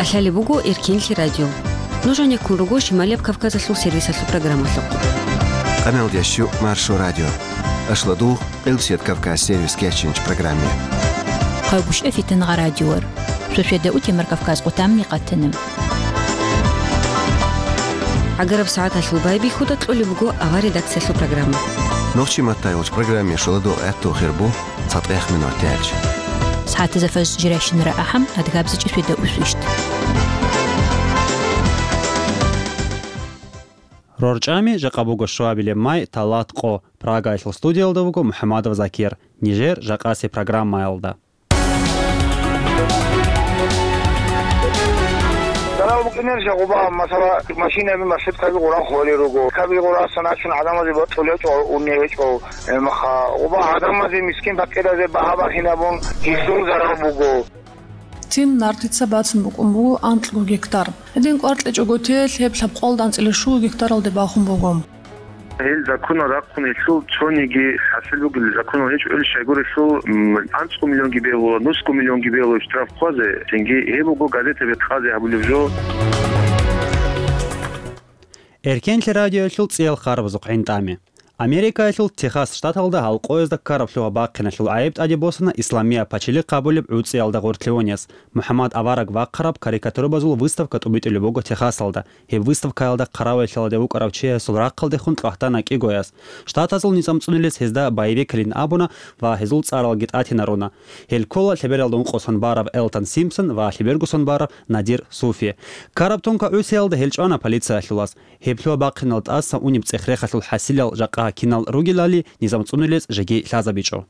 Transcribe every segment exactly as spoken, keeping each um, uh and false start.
Лъалеб буго Эркенлъи радио. Нуж гьанеккун руго Шималияб Кавказалъул сервисалъул программалъухъ. Къамел ящу Маршо радио. Ашладугъ, Къилбсият Кавказ сервис кечинч программе. Хъайгушев Фитангъа радиор. Шошеда утемар Кавказ къутамни къатанам. Агараб сагӀаталъул байбихьуда кьолеб буго авар редакциялъул программа. Нохчи маттай уч программе шуладу гӀатту хирбу. ЦатӀех минут тяч. СагӀатаза фаж жирайщинара ахӀам, адгабзичӀи сведа усвищт. РорчӀами жакъа буго швабилеб май, талат къо. Прагаялъул студиялда вуго МухӀамадов Закир. Нижер жакъаси программаялда. Дарал букӀинер жагъуба, масала, машинаби маршруткаби гъура холел руго. Каби гъура саначун гӀадамазе бокьулечӀо, унегьечӀо. Гьебмаха, гъуба гӀадамазе, мискин-пакъиразе багьа-бахинабун гьелъул зарал буго. Тим Нартица бацун букӀун буго анкьго гектар. Гьедин кӀвар кьечӀого телъ гьеб лъабкъоялда анцӀила щуго гектаралде бахун буго. Гьел законал рахъун гьелъул цониги хӀасил бугел законал гьечӀо, ил щайгурелъул, м, анцӀго миллионги бегьула, нусго миллионги бегьула штраф хъвазе, цинги гьеб буго газетаби хъазе гьабулеб жо. Эркенлъи радиоялъул цӀиял харбазухъ гӀинтӀами. Америкаялъул Техас штаталда гьалкъоязда ккараб лъугьа-бахъиналъул гӀайиб тӀаде босана Исламия Пачелихъ абулеб гӀуцӀиялда гъорлъе унес. МухӀаммад Авараг вахъараб карикатурабазул выставка тӀубитӀулеб буго Техасалда. Гьеб выставкаялда хъаравуллъиялде вукӀарав чиясул рахъалдехун кьвагьтана кӀигояс. Штатазул низам цӀунулес гьезда боевикалин абуна ва гьезул цӀаралги тӀатинаруна. Гьел ккола лъебералда ункъосан бараб Элтон Симпсон ва лъебергосан бараб Надир Суфи. Ккараб тонка гӀусиялда гьел чӀвана полициялъулас. Гьеб лъугьа-бахъинал тӀаса унеб цӀех-рехалъул хӀасилал жакъа кинал ругелали низам цӀунулес жеги лъазабичӀо.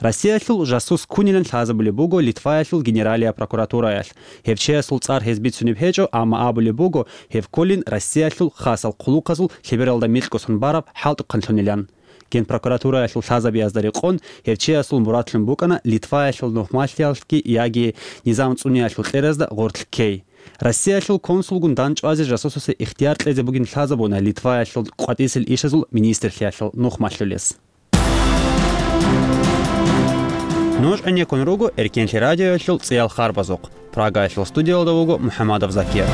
Россиялъул жасус ккунилан лъазабулеб буго Литваялъул Генералияб прокуратураялъ. Гьев чиясул цӀар гьез бицунеб гьечӀо, амма абулеб буго, гьев кколин Россиялъул хасал хъулухъазул лъебералда микьго сон бараб хӀалтӀухъанлъунилан. Генпрокуратураялъул лъазабиязда рекъон, гьев чиясул мурадлъун букӀана Литваялъул нухмалъиялъги яги низам цӀуниялъул кьеразда гъорлъ ккей. Россиялъул консулгун дандчӀвазе жасусасе ихтияр кьезе бугин лъазабуна Литваялъул къватӀисел ишазул министрлъиялъул нухмалъулес. Нуж гӀенеккун руго Эркенлъи радиоялъул цӀиял харбазухъ. Прагаялъул студиялда вуго МухӀамадов Закир.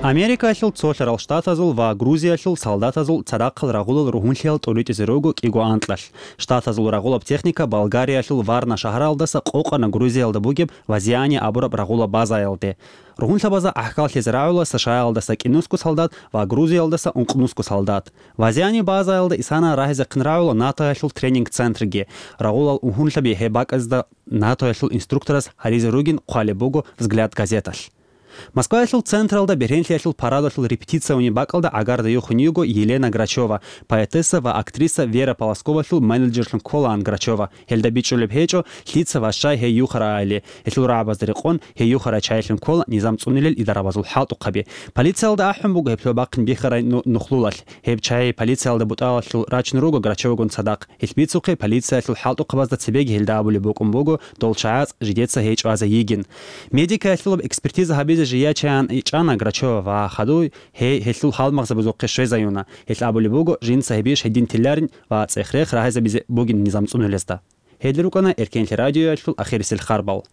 Америкаялъул цолъарал штатазул ва Грузиялъул солдатазул цадахъал рагъулал ругьунлъиял тӀуритӀизе руго кӀиго анкьалъ. Штатазул рагъулаб техника Болгариялъул Варна шагьаралдаса къокъана Грузиялда бугеб Вазиани абураб рагъулаб базаялде. Ругьунлъабазда гӀахьаллъизе рагӀула США-ялдаса кӀинусго солдат ва Грузиялдаса ункънусго солдат. Вазиани базаялда исана рагьизехъин рагӀула НАТОялъул тренинг-центрги. Рагъулал угьунлъаби гьеб бакӀазда НАТОялъул инструкторас гьаризе ругин хъвалеб буго «Взгляд» газеталъ. Москваялъул централда бергьенлъиялъул парадалъул репетицияни бакӀалда гӀагарда юхун йиго Елена Грачева, поэтесса ва актриса Вера Полосковалъул менеджерлъун кколаан Грачева. Гьелда бичӀчӀулеб гьечӀо, лъица ва щай гьей юхарайали. Гьелъул рагӀабазда рекъон, гьей юхарай чайилъун ккола низам цӀунилел идарабазул хӀалтӀухъаби. Полициялда ахӀун буго гьеб лъугьа-бахъин бихьарай ну-, нухлулалъ. Гьеб чай полициялда бутӀалалъул рачун руго Грачевагун цадахъ. Гьелъ бицухъе полициялъул хӀалтӀухъабазда цебеги гьелда абулеб букӀун буго, дол чагӀаз жидеца гьей чӀвазе йигин. Медикаялъулаб экспертиза гьабизе жия чаян ичӀана Грачева ва хадуй гьей гьелъул гьалмагъзабазухъе щвезаюна. Гьелъ абулеб буго, жинца гьеб иш гьедин тилларин ва цӀех-рех рагьизабизе бугин низам цӀунулезда. Гьел рукӀана Эркенлъи радиоялъул ахирисел харбал.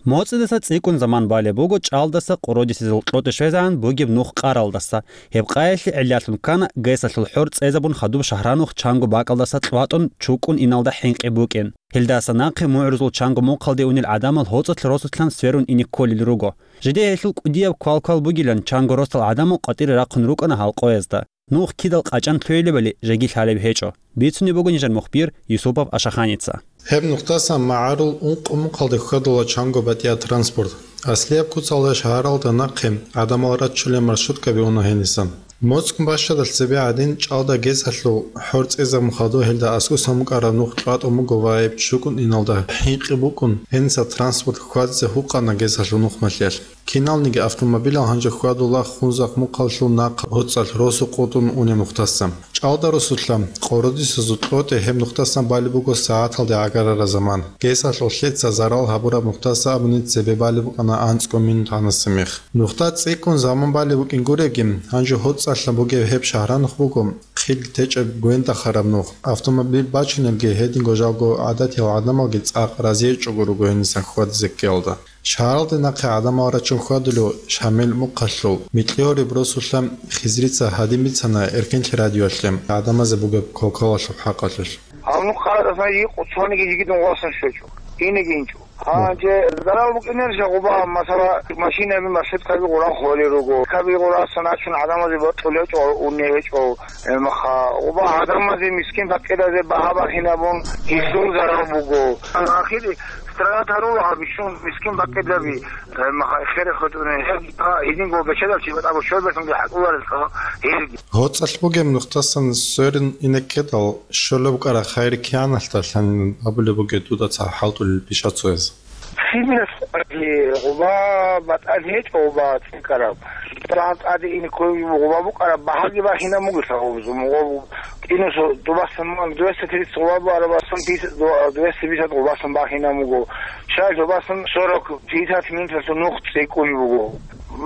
МоцӀидаса цӀикӀкӀун заман балеб буго чӀалдаса къородисезул кьотӀи щвезегӀан бугеб нух къаралдаса. Гьеб къаялъе гӀиллалъун ккана, гесалъул хӀор цӀезабун хадуб шагьранух чанго бакӀалдаса кьватӀун чукӀун иналда хӀинкъи букӀин. Гьелдаса нахъе мугӀрузул чанго мухъалде унел гӀадамал гьоцӀалъ росулъан сверун ине кколел руго. Жидее гьелъул кӀудияб квал-квал бугилан чанго росдал гӀадамал къватӀире рахъун рукӀана гьалкъоязда. Нух кидал къачӀан лъугьилебали жеги лъалеб гьечӀо. Бицунеб буго нижер мухбир Юсупов Ашаханица. Гьеб нухдасан магӀарул ункъо мухъалде хьвадула чанго батӀияб транспорт. Аслияб куцалда шагьаралда нахъе гӀадамал раччулел маршруткаби уна гьениса. МоцӀ бащадалъ цебе гӀадин, чӀалда гесалъул хӀор цӀезабун хадуб гьелда аскӀосан букӀараб нух кьватӀун буго ва гьеб чукӀун иналда хӀинкъи букӀун, гьениса транспорт хьвадизе гьукъана гесалъул нухмалъиялъ. Киналниги автомобилал гьанже хьвадула Хунзахъ мухъалъул нахъа гьоцӀалъ росу къотӀун унеб нухдаса. ЧӀалда росулъа Къородисезул КьотӀе гьеб нухдасан балеб буго сагӀаталде гӀагарараб заман. Гесалъул лъеца зарал гьабураб нухдаса абуни цебе балеб букӀана анцӀго минут гьанасе мех. Нухда цӀикӀкӀун заман балеб букӀин гуреги, гьанже гьоцӀалъа бугеб гьеб шагьранухъ буго хъил течӀеб гвендахъараб нух. Автомобиль бачунелги гьединго жалго гӀадатиял гӀадамалги цӀакъ разиечӀого руго гьенисан хьвадизе ккеялда. Шагьаралде нахъе гӀадамал рачун хьвадулев Шамил мухъалъул микьи гьориб росулъа Хизрица гьадин бицана Эркенлъи радиоялъе гӀадамазе бугеб квалквалалъул хӀакъалъулъ. Гьанухъа, гьанухъа цониги жигитун гъвасан щвечӀо, инеги инчӀо. Гьанже зарал букӀинарищ гъуба, масала, машинаби, маршруткаби гъуран холел руго. Каби гъурасан ачун гӀадамазе бокьулев гьечӀо, унев гьечӀо. Гьебмаха, гъуба гӀадамазе, мискин пакъиразе багьа бахинабун, гьелъул зарал буго. Ахир страна тарула гьаб бищун мискин пакъираби, гьебмаха, эхере хутӀунел, гьеб гьединго бечедал чи батӀа бо щолбетунги хӀакъуларелха гьелги. ГьоцӀалъ бугеб нухдасан сверун инеккедал, щолеб букӀараб хайир кигӀаналъ лъанин абулеб бугеб дуда цо хӀалтӀулел бища цояз. Хибирас гъуба батӀан гьечӀо, гъуба цӀикӀкӀараб. ТӀаде ине ккоги гъуба букӀараб багьаги бахинаб бугелъа гъубзу. Мугъаб кӀинусу дубасан ман двести тридцать гъуба буарабасан пятьдесят, двести пятьдесят гъубасан бахинаб буго. Щай дубасан сорок пятьдесят минуталъул нух цӀикӀкӀунеб буго.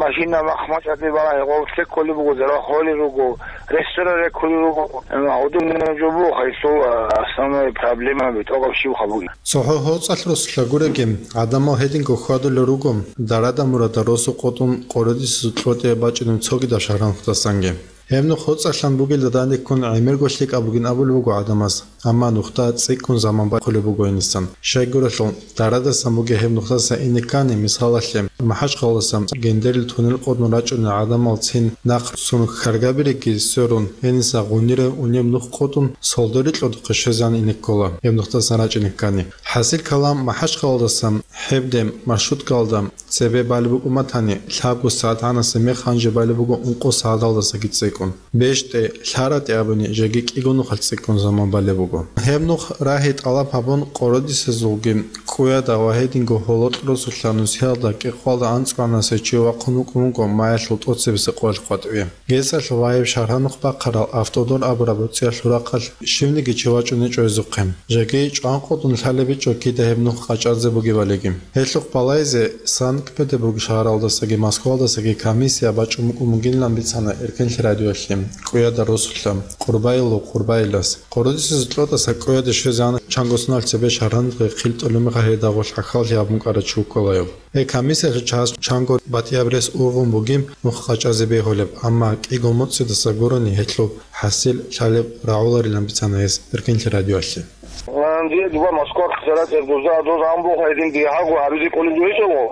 Машина махмачӀаде балагьи гъов цеккулеб буго, зара холел руго, ресторан реккулел руго. Гьудул жо буго гьесул, а, основной проблемаби тӀокӀаб щибха бугеб. ЦохӀо гьоцӀалъ росулъа гуреги, гӀадамал гьединго хьвадулел руго, дарада-мурада росу къотӀун Къородисезул КьотӀе бачӀунеб цогидаб шагьранухъдасанги. Гьеб нух гьоцӀалъан бугелда данде ккун гӀемерго лъикӀаб бугин абулеб буго гӀадамаз, амма нухда цӀикӀкӀун заман бахъулеб буго гьенисан. Щайгурелъул, дарадасан бугеб гьеб нухдаса ине ккани, мисалалъе, МахӀачхъалаялдаса Гендерил туннел къотӀун рачӀунел гӀадамал цин нахъ сун хьаргабиреги сверун, гьениса гъунира унеб нух къотӀун Солдорил кьодухъе щвезегӀан ине ккола, гьеб нухдасан рачӀине ккани. ХӀасил калам, МахӀачхъалаялдаса гьебде маршруткаялда цебе балеб букӀун батани, лъабго сагӀат гьанасе мех гьанже балеб буго ункъо сагӀаталдасаги цӀикӀкӀун. БещтӀе, лъаратӀе абуни, жеги кӀиго нухалъ цӀикӀкӀун заман балеб буго. Гьеб нух рагьи тӀалаб гьабун, Къородисезулги КӀуяда ва гьединго гьолокь росулъа нусиялда кӀикъоялда анцӀго гьанасе чи вахъун вукӀун вуго маялъул тӀоцебесеб къоялъ къватӀиве. Гесалъ ваяб шагьранухъ бахъарал Автодор абураб гӀуцӀиялъул рахъалъ щивниги чи вачӀунечӀо гьезухъе. Жеги чӀван-къотӀун лъалеб гьечӀо кида гьеб нух къачӀазе бугебалиги. Гьелъухъ балайзе Санкт-Петербург шагьаралдасаги Москвалдасаги комиссия бачӀун букӀун бугилан бицана Эркенлъи радиоялъе, КӀуяда росулъа Къурбайилов Къурбайилас. Къородисезул КьотӀаса КӀуяде щвезегӀан чанго соналъ цебе шагьранухъе хъил тӀолеб мехалъ гьелда гъорлъ хӀахьаллъи гьабун кӀварав чи вукӀунаро. Гьеб комиссиялъул чагӀаз чанго батӀияб рес ургъун бугеб нух къачӀазе бегьулеб, амма кӀиго моцӀидаса гурони гьелъул хӀасил лъалеб рагӀуларилан бицана гьес Эркенлъи радиоялъе. Гьанже дуба Москва церат эрдузда доз амбо хайдин дигьаго гьабизе кӀолеб гьечӀого,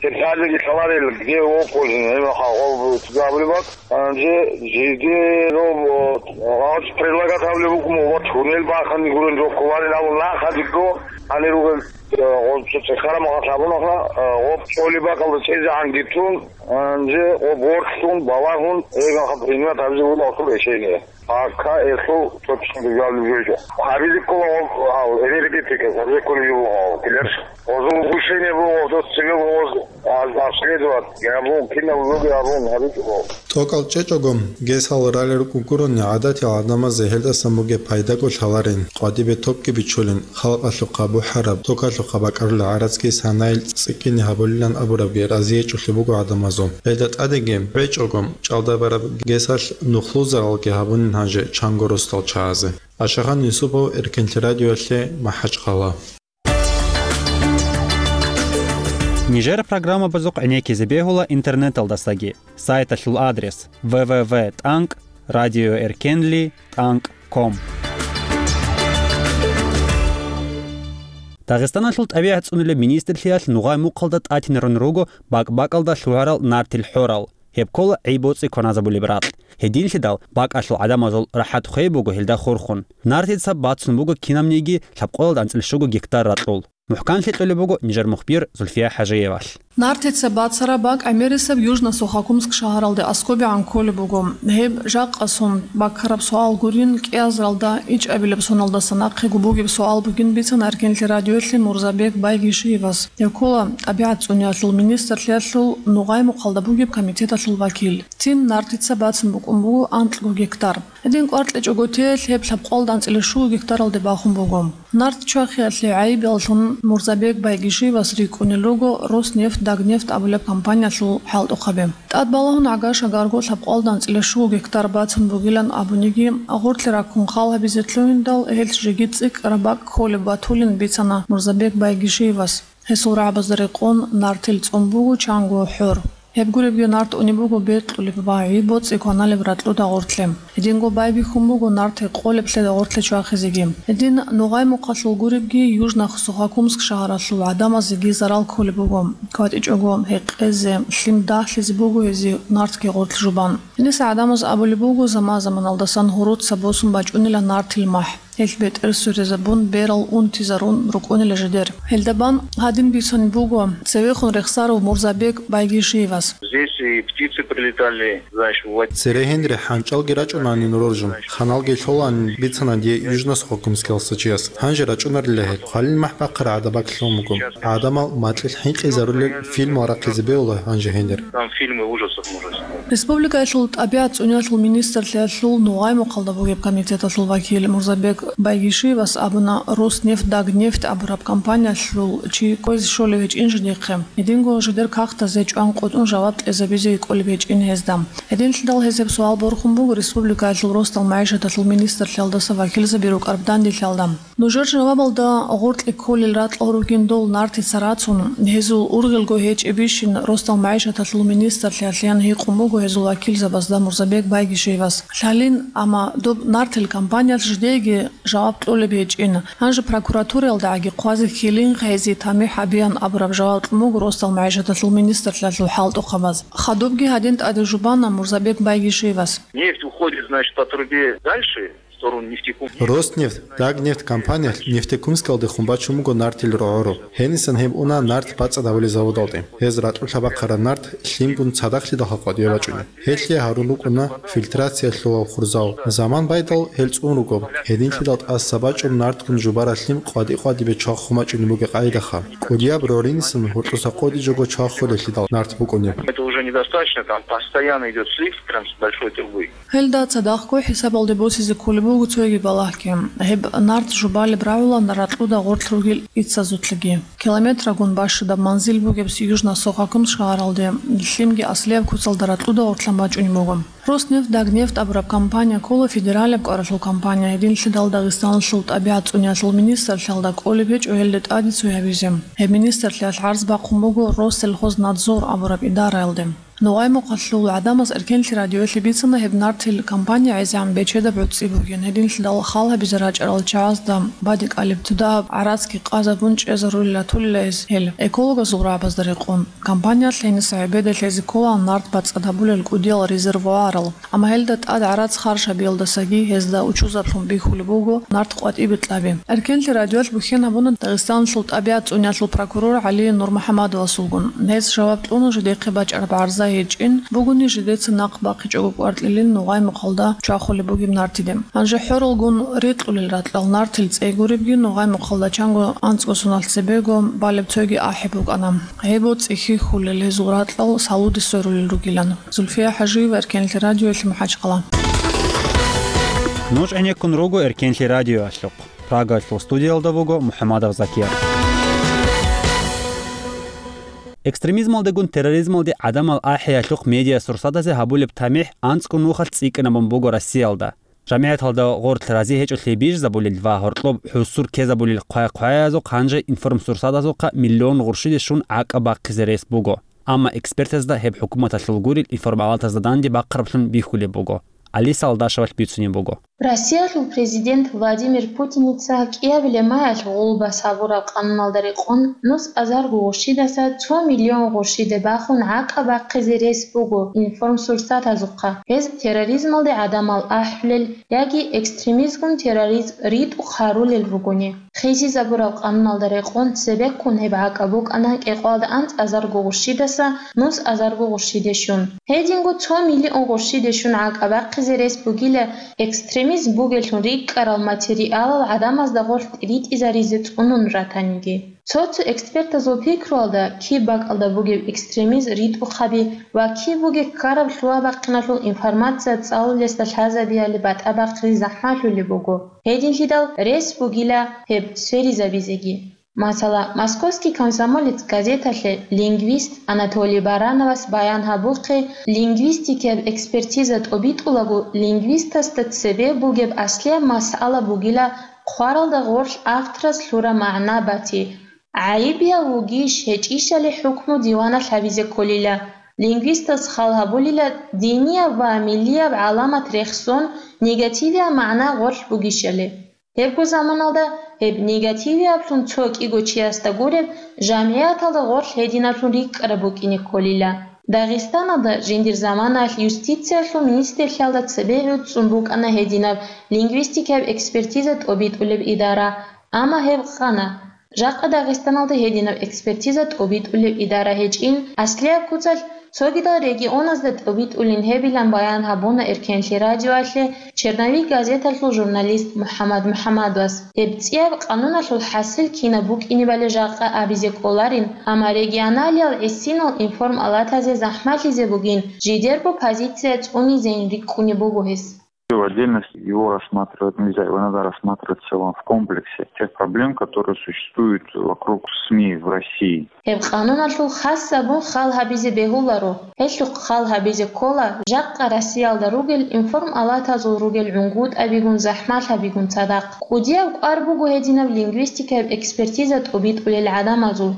гьеб лъалеги лъаларел, где его пользование, гьеб хагъов цӀикӀкӀабулеб бакӀ. Гьанже жиде роб, гъач предлагат гьабулеб букӀун, ва туннел бахъани гурен жо кколарин абун нахъа дигго, гьанир ругел, э, гъо цо цӀехараб махалъ гьабунаха, э, гъо чӀолеб бакӀалда чӀезегӀан гитун, гьанже гъо бортлъун, балагьун, гьеб махалъ принимать гьабизе буго гьасул решение. Пока гьелъул точно гьабулеб жо. Гьабизе ккола гъо, гьав, энергетика, гьабизе кколеб жо буго гьав, килер. Гъозул решение буго гъоз цебе гъоз, а, обследовать, гьабун, кинаб буго гьабун, гьабичӀого. ТӀокӀал чӀечӀого, гесал ралел рукӀун гурони гӀадатиял гӀадамазе гьелдасан бугеб пайдаго лъаларин, къватӀибе токги бичулин, халкъалъухъа бухӀараб, токалъухъа бакӀарулел гӀарацги санайил цӀикӀкӀине гьабулилан абурабги разиечӀолъи буго гӀадамазул. Гьелда тӀадеги, гьечӀого, чӀалда бараб гесалъ нухлузаралги гьабунин гьанже чанго росдал чагӀазе. Ашахан Юсупов, Эркенлъи радиоялъе, МахӀачхъала. Нижер программабазухъ гӀенеккизе бегьула интернеталдасаги. Сайталъул адрес: в в в тӀанкӀ радиоэркенли тӀанкӀ ком. Дагъистаналъул тӀабигӀат цӀунулеб министрлъиялъ нугъай мухъалда тӀатинарун руго бакӀ-бакӀалда лъугӀарал нартил хӀорал. Гьеб ккола гӀи-боцӀи кваназабулеб ракь. Гьединлъидал бакӀалъул гӀадамазул рахӀат хвей буго гьелда хурхун. Нартица бацун буго кинабниги лъабкъоялда анцӀила щуго гектар ракьул. МухӀканлъи кьолеб буго нижер мухбир Зульфия ХӀажиевалъ. Нартица бацараб бакӀ гӀемерисеб Южно-Сухокумск шагьаралде аскобегӀан кколеб буго. Гьеб жакъасун баккараб суал гурин, кӀиазаралда ичӀабилеб соналдаса нахъего бугеб суал бугин бицана Эркенлъи радиоялъе Мурзабек Байгишиевас. Гьев ккола тӀабигӀат цӀуниялъул министрлъиялъул Ногъай-Мухъалда бугеб комитеталъул вакил. Цин нартица бацун букӀун буго анкьго гектар. Гьедин кӀвар кьечӀого теялъ гьеб лъабкъоялда анцӀила щуго гектаралде бахун буго. Нарт чвахиялъе гӀайибаллъун Мурзабек Байгишиевас рикӀкӀунел руго Роснефть-Дагнефть абулеб компаниялъул хӀалтӀухъаби. ТӀад балагьун гӀага-шагарго лъабкъоялда анцӀила щуго гектар бацун бугилан абуниги, гъорлъи раккун хал гьабизе лъугьиндал, гьелъ жеги цӀикӀкӀараб бакӀ кколеб батулин бицана Мурзабек Байгишиевас. Гьесул рагӀабазда рекъон нартил цӀун буго чанго хӀор. Гьеб гуребги, нарт унеб буго бекьулеб ва гӀи боцӀи кваналеб ракьуда гъорлъе. Гьединго байбихьун буго нарт гьекъолеблъи гъорлъе чвахизеги. Гьедин Ногъай-Мухъалъул гуребги, Южно-Сухокумск шагьаралъул гӀадамазеги зарал кколеб буго. КватӀичӀого гьекъезе, лъим дагьлъизе буго гьезие нартги гъорлъ жубан. Гьениса гӀадамаз абулеб буго, заман-заманалдасан гьуруца босун бачӀунила нартил махӀ. Гьелъ бетӀер сверизабун, берал унтизарун рукӀунила жидер. Гьелда бан гьадин бицунеб буго цевехун рехсарав Мурзабек Байгишиевас. Здесь и птицы прилетали, знаешь, в... Цере гьенре хӀанчӀалги рачӀунаанин роржун, ханалги лъолаанин бицана дие Южно-Сухокумскиялдаса чияс. Гьанже рачӀунарила гьел. Хвалил махӀ бахъараб гӀадабакълъун буго. ГӀадамал макьилъ хӀинкъизарулел фильмал рахъизе бегьула гьанже гьенир. Там фильмы ужасов, ужасов. Республикаялъул тӀабигӀат цӀуниялъул министрлъиялъул Ногъай-Мухъалда бугеб комитеталъул вакил Мурзабек Байгишиевас абуна, Роснефть-Дагнефть абураб компаниялъул чи кквезе щолеб гьечӀин жидехъе. Гьединго жидер кагътазе чӀван-къотӀун жаваб кьезабизе кӀолеб гьечӀин гьезда. Гьединлъидал гьез гьеб суал борхун буго республикаялъул росдал магӀишаталъул министрлъиялдаса вакилзаби рукӀараб данделъиялда. Нужер жавабалда гъоркье кколел ракьал ругин дол нартица рацун, гьезул ургъелго гьечӀебищин росдал магӀишаталъул министрлъиялъеян гьикъун буго гьезул вакилзабазда Мурзабек Байгишиевас. Лъалин, амма доб нартил компаниялъ жидееги жаваб кьолеб гьечӀин. Гьанже прокуратураялдагӀаги хъвазе ккелин, гьезие тамихӀ гьабеян абураб жаваб кьун буго росдал магӀишаталъул министрлъиялъул хӀалтӀухъабаз. Хадубги гьадин тӀаде жубана Мурзабек Байгишиевас. Нефть уходит, значит, по трубе дальше. Роснефть, Дагнефть компаниялъ Нефтекумскалдехун бачун буго нартил рогӀору. Гьенисан гьеб уна нарт бацӀцӀадабулел заводалде. Гьез ракьулъа бахъараб нарт лъимгун цадахълъидалха къватӀиве бачӀуна. Гьелъие гьарун рукӀуна фильтрациялъулал хурзал. Заман байдал гьел цӀун руго. Гьединлъидал тӀаса бачӀун нартгун жубараб лъим къватӀи-къватӀибе чвахун бачӀунеб бугеб къагӀидаха. КӀудияб рогӀринисан гьоркьоса къотӀи жого чвахулелъидал нарт букӀунеб. Это уже недостаточно, там постоянно идёт слив прям с большой трубы. Гьелда цадахъго хӀисабалде босизе кколеб буго цоги балагьги. Гьеб нарт жубалеб рагӀула ракьуда гъорлъ ругел иццазулъги. Километрагун бащадаб манзил бугеб Южно-Сухокумск шагьаралде лъимги аслияб куцалда ракьуда гъорлъан бачӀунеб буго. Роснефть-Дагнефть абураб компания ккола федералияб кӀвараблъул компания, гьединлъидал Дагъистаналъул тӀабигӀат цӀуниялъул министрлъиялда кӀолеб гьечӀо гьелде тӀаде цо гьабизе. Гьеб министрлъиялъ гӀарз бахъун буго Россельхознадзор абураб идараялде. Ногъай-Мухъалъул гӀадамаз Эркенлъи радиоялъе бицана гьеб нартил компания гӀезегӀан бечедаб гӀуцӀи бугин, гьединлъидал хал гьабизе рачӀарал чагӀазда бадикӀалеб цо дагьаб гӀарацги къазабун чӀезарулел ратулила гьез гьел. Экологазул рагӀабазда рекъон, компаниялъ гьениса гӀебеда лъезе ккола нарт бацӀцӀадабулел кӀудиял резервуарал, амма гьелда тӀад гӀарац харж гьабиялдасаги гьезда учузаблъун бихьулеб буго нарт къватӀибе кьаби. Эркенлъи радиоялъ бухьен гьабуна Дагъистаналъул тӀабигӀат цӀуниялъул прокурор ГӀали Нурмухьамадовасулгун. Гьез жаваб кьуна жидехъе бачӀараб гӀарза гьечӀин бугони, жидеца нахъ бахъичӀого кӀваркьилин Ногъай-Мухъалда чвахулеб бугеб нартиде. Гьанже хӀоралгун рикьулел ракьал нартил цӀей гуребги, Ногъай-Мухъалда чанго анцӀго соналъ цебего балеб цоги ахӀи букӀана. Гьеб боцӀи хьихьулел гьезул ракьал салуде сверулел ругилан. Зульфия ХӀажиева, Эркенлъи радиоялъе, МахӀачхъала. Нуж гӀенеккун руго Эркенлъи радиоялъухъ. Прагаялъул студиялда вуго МухӀамадов Закир. Экстремизмалдегун терроризмалде гӀадамал ахӀиялъухъ медиасурсатазе гьабулеб тамихӀ анцӀго нухалъ цӀикӀкӀинабун буго Россиялда. ЖамигӀяталда гъорлъ рази гьечӀолъи бижизабулел ва гьоркьоб хӀусур ккезабулел хъвай-хъваязухъ гьанже информсурсатазухъа миллион гъурщиде щун гӀакӀаб бахъизе рес буго. Амма экспертазда гьеб хӀукуматалъул гурел информалатазда данде бахъараблъун бихьулеб буго. Алиса Алдашевалъ бицунеб буго. Россиялъул президент Владимир Путиница кӀиабилеб майалъ гъулбас гьабураб къануналда рекъон нус азарго гъурщидаса цо миллион гъурщиде бахун гӀакъа бахъизе рес буго информсурсатазухъа, гьез терроризмалде гӀадамал ахӀулел яги экстремизмгун терроризм ритӀухъ гьарулел ругони. Хисизабураб къануналда рекъон цебеккун гьеб гӀакъа букӀана кӀикъоялда анцӀазарго гъурщидаса нус азарго гъурщиде щун. Гьединго цо миллион гъурщиде щун гӀакъа бахъизе рес бугила экстремизм бугеллъун рикӀкӀарал материалал гӀадамазда гъорлъ ритӀизаризе цӀунун ратаниги. Цо-цо экспертазул пикруялда, киб бакӀалда бугеб экстремизм ритӀухъаби ва киб бугеб ккараб лъугьа-бахъиналъул информация цӀалулесда лъазабиялде батӀа бахъизе захӀмалъулеб буго. Гьединлъидал рес бугила гьеб сверизабизеги. Масала, «Московский комсомолец» газеталъе лингвист Анатолий Барановас баян гьабухъе, лингвистикияб экспертиза тӀобитӀулаго лингвистасда цебе бугеб аслияб масъала бугила хъваралда гъорлъ авторас лъураб магӀна бати, гӀайибияв вугищ гьечӀищали хӀукму диваналъ гьабизе кколила. Лингвистас хал гьабулила динияб ва миллияб гӀаламат рехсон негативияб магӀна гъорлъ бугищали. Гьебго заманалда гьеб негативияблъун цо кӀиго чиясда гуреб, жамгӀияталда гъорлъ гьединаблъун рикӀкӀараб букӀине кколила. Дагъистаналда жиндир заманаялъ юстициялъул министрлъиялда цебе гӀуцӀцӀун букӀана гьединаб лингвистикаяб экспертиза тӀобитӀулеб идара, амма гьеб къана. Жакъа Дагъистаналда гьединаб экспертиза тӀобитӀулеб идара гьечӀин, аслияб куцалъ цогидал регионазда тӀобитӀулин гьебилан баян гьабуна Эркенлъи радиоялъе «Черновик» газеталъул журналист МухӀаммад МухӀаммадовас. Гьеб цӀияб къануналъул хӀасил кинаб букӀинебали жакъа абизе кӀоларин, амма регионалиял гӀисинал информалатазе захӀмалъизе бугин, жидерго позиция цӀунизейин рикӀкӀунеб буго гьес. В отдельности его рассматривать нельзя, его надо рассматривать в целом в комплексе тех проблем, которые существуют вокруг СМИ в России. Гьеб къануналъул хас абун хал гьабизе бегьуларо. Гьелъухъ хал гьабизе ккола жакъа Россиялда ругел информалатазул ругел гӀунгутӀабигун, захӀмалъабигун цадахъ. КӀудияб кӀвар буго гьединаб лингвистикаяб экспертиза тӀобитӀулел гӀадамазул.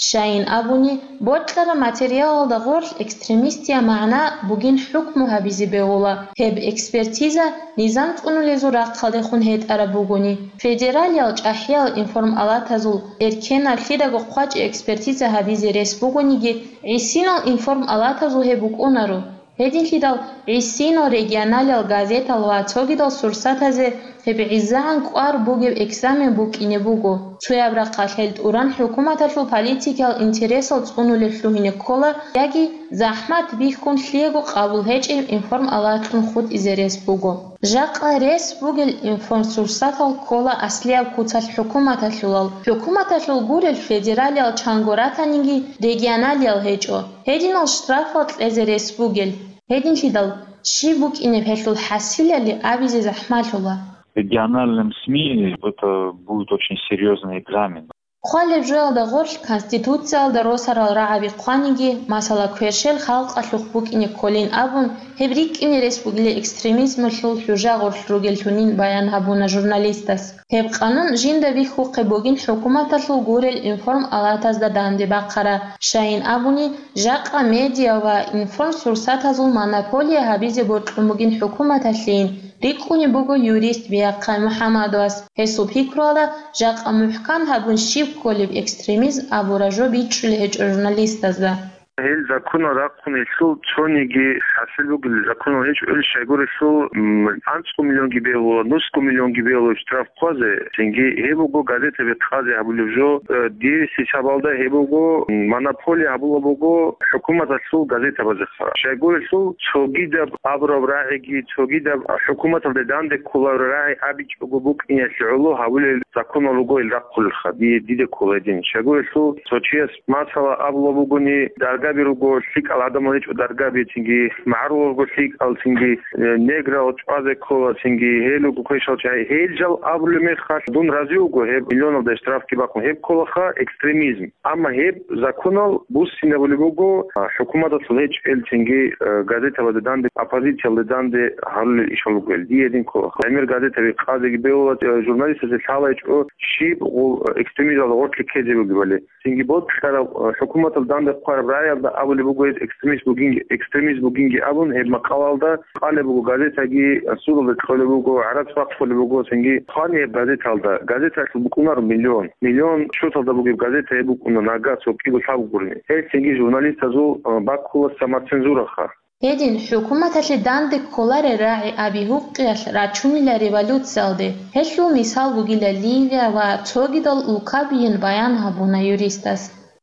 Щайин абуни, бокьараб материалалда гъорлъ экстремистияб магӀна бугин хӀукму гьабизе бегьула. Гьеб экспертиза низам цӀунулезул рахъалдехун гьетӀараб бугони, федералиял чӀахӀиял информалатазул эркенаб лъидаго хъвачӀи экспертиза гьабизе рес бугониги, гӀисинал информалатазул гьеб букӀунаро. Гьединлъидал гӀисинал регионалиял газетал ва цогидал сурсатазе гьеб гӀезегӀан кӀвар бугеб экзамен букӀине буго. Цояб рахъалъ гьел тӀуран хӀукуматалъул политикиял интересал цӀунулеб лъугьине ккола яги захӀмат бихьун лъиего къабул гьечӀеб информалатлъун хутӀизе рес буго. Жакъа рес бугел информсурсатал ккола аслияб куцалъ хӀукуматалъулал. ХӀукуматалъул гурел федералиял чанго ратаниги регионалиял гьечӀо. Гьединал штрафал кьезе рес бугел. Гьединлъидал щиб букӀинеб гьелъул хӀасилали абизе захӀмалъула. Региональным СМИ это будет очень серьёзный экзамен. Хъвалеб жоялда гъорлъ Конституциялда росарал рагӀаби хъваниги, масала, кверщел халкъалъухъ букӀине кколин абун, гьеб рикӀкӀине рес бугила экстремизмалъул хӀужа гъорлъ ругеллъунин баян гьабуна журналистас. Гьеб къанун жинда бихьухъе бугин хӀукуматалъул гурел информалатазда данде бахъара, щайин абуни, жакъа медиа ва информсурсатазул монополия гьабизе бокьун бугин хӀукуматалъейин, рикӀкӀунеб буго юрист Биахъай МухӀаммадовас. Гьесул пикруялда, жакъа мухӀкан гьабун щиб кколеб экстремизм абураб жо бичӀчӀулеб гьечӀо журналистазда. Гьел законал рахъун гьелъул цониги хӀасил бугел законал гьечӀо, ил щайгурелъул, м, анцӀго миллионги бегьула, нусго миллионги бегьула штраф хъвазе, цинги гьеб буго газетаби къазе гьабулеб жо, э, дирис хӀисабалда гьеб буго, м, монополия гьабула буго хӀукуматалъул газетабазеха. Щайгурелъул цогидаб абураб рагӀиги, цогидаб хӀукуматалде данде кколареб рагӀи абичӀого букӀиналъе гӀоло гьабулел законал руго ил рахъулелха, дие диде ккола гьедин. Щайгурелъул цо чияс масала абула бугони, даргаби руго, лъикӀал гӀадамал гьечӀо даргаби, цинги магӀарулал руго лъикӀал, цинги, э, неграл чӀвазе ккола, цинги гьел руго квешал чагӀи. Гьел жал абулеб мехалъ, дун рази вуго, гьеб миллионалда штрафги бахъун, гьеб кколаха экстремизм. Амма гьеб законал буссинабулеб буго, а, хӀукуматалъул гьечӀел, цинги, э, газетабазда данде, оппозициялда данде гьарулел ишал ругел. Дие гьедин кколаха. ГӀемер газетаби къазеги бегьула, э, журналистазе лъала гьечӀо щиб гъу-, экстремизмалда гъоркье ккезе бугебали. Цинги бокьараб, э, хӀукуматалда данде хъвараб рагӀи Абулеб буго гьез экстремист бугин, экстремист бугинги абун, гьеб макъалаялда къалеб буго газетаги, судалда кьолеб буго, гӀарац бахъулеб буго, цинги хъвани гьеб газеталда. Газеталъул букӀунаро миллион. Миллион счеталда бугеб газета гьеб букӀуна нагагь цо кӀиго лъабгурни. Гьел цинги журналистазул, а, баккула самоцензураха. Гьедин, хӀукуматалъе данде кколарел рагӀи аби гьукъиялъ рачунила революциялде. Гьелъул мисал бугила Ливия ва цогидал улкабиин баян гьабуна юристас.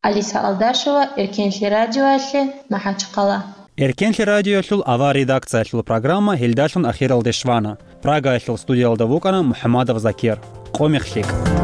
Алиса Алдашева, Эркенлъи радиоялъе, МахӀачхъала. Эркенлъи радиоялъул авар редакциялъул программа гьелдалъун ахиралде щвана. Прагаялъул студиялда вукӀана МухӀамадов Закир. Къо мех лъикӀ.